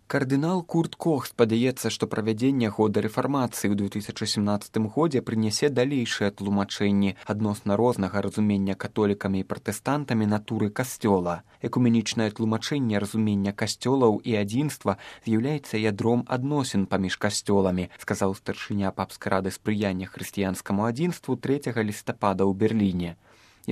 Кардынал Курт Кох спадзяецца, што правядзенне года рэфармацыі ў 2017 годзе прынясе далейшыя тлумачэнні адносна рознага разумення католікамі і пратэстантамі натуры касцёла. Экуменічнае тлумачэнне разумення касцёлаў і адзінства з'яўляецца ядром адносін паміж касцёламі, сказаў старшыня папскай рады спрыяння хрысціянскаму адзінству 3 лістапада ў Берліне.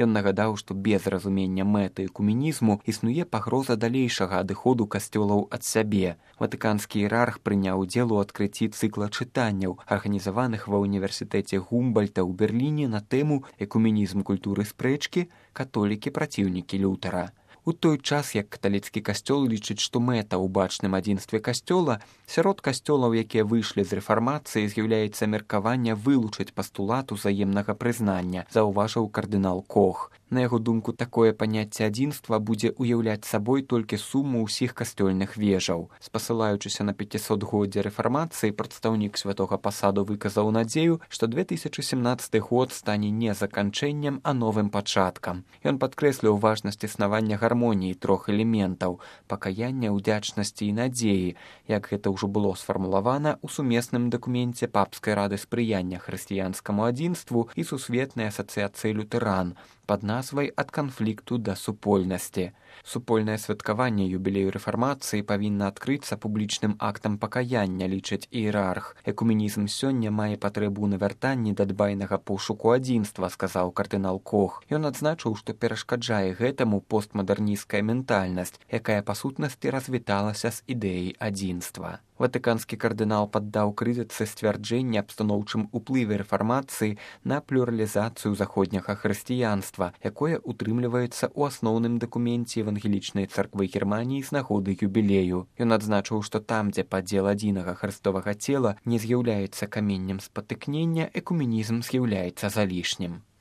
Ён нагадаў, што без разумення мэты экуменізму існуе пагроза далейшага адыходу касцёлаў ад сябе. Ватыканскі іерарх прыняў удзел у адкрыцці цыкла чытанняў, арганізаваных ва ўніверсітэце Гумбольта ў Берліне на тэму «Экуменізм культуры спрэчкі. Католікі праціўнікі Лютера». У той час, як каталіцкі касцёл лічыць, што мэта ў бачным адзінстве касцёла, сярод касцёлаў, якія выйшлі з рэфармацыі, з'яўляецца меркаванне вылучыць пастулат узаемнага прызнання, заўважыў кардынал Кох. На яго думку, такое паняцце адзінства будзе ўяўляць сабой толькі суму ўсіх касцёльных вежаў. Спасылаючыся на 500годдзе рэфармацыі, прадстаўнік святога пасаду выказаў надзею, што 2017 год стане не заканчэннем, а новым пачаткам. Ён падкрэсліў важнасць існавання гармоніі трох элементаў – пакаяння, удзячнасці і надзеі, як гэта ўжо было сфармулавана ў сумесным дакуменце папскай рады спрыяння хрысціянскаму адзінству і сусветнай асацыяцыі лютэран пад назвай «Ад канфлікту да супольнасці». Супольнае святкаванне юбілею рэфармацыі павінна адкрыцца публічным актам пакаяння, лічыць іерарх. Экуменізм сёння мае патрэбу ў навяртанні да дбайнага пошуку адзінства, сказаў кардынал Кох. Ён адзначыў, што перашкаджае гэтаму постмадэрнісцкая ментальнасць, якая па сутнасці развіталася з ідэяй адзінства. Ватыканскі кардынал паддаў крытыцы сцвярджэнне аб станоўчым уплыве рэфармацыі на плюралізацыю заходняга хрысціянства, якое утрымліваецца ў асноўным дакуменце евангелічнай царквы Германіі з нагоды юбілею. Ён адзначыў, што там, дзе падзел адзінага хрыстовага цела не з'яўляецца каменнем спатыкнення, экуменізм з'яўляецца залішнім.